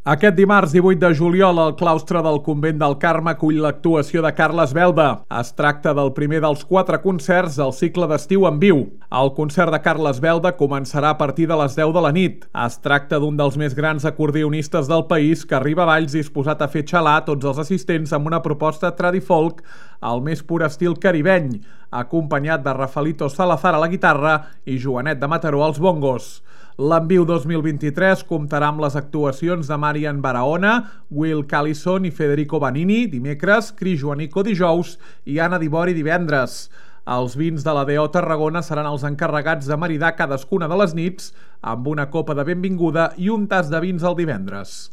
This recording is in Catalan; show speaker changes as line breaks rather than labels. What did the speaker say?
Aquest dimarts 18 de juliol, el claustre del Convent del Carme acull l'actuació de Carles Belda. Es tracta del primer dels 4 concerts del cicle d'estiu en viu. El concert de Carles Belda començarà a partir de les 10 de la nit. Es tracta d'un dels més grans acordionistes del país que arriba a Valls disposat a fer xalar tots els assistents amb una proposta tradifolk al més pur estil caribeny, acompanyat de Rafaelito Salazar a la guitarra i Joanet de Mataró als bongos. L'Enviu 2023 comptarà amb les actuacions de Marian Barahona, Will Callison i Federico Vanini dimecres, Cris Joanico dijous i Anna Dibori divendres. Els vins de la D.O. Tarragona seran els encarregats de maridar cadascuna de les nits amb una copa de benvinguda i un tas de vins el divendres.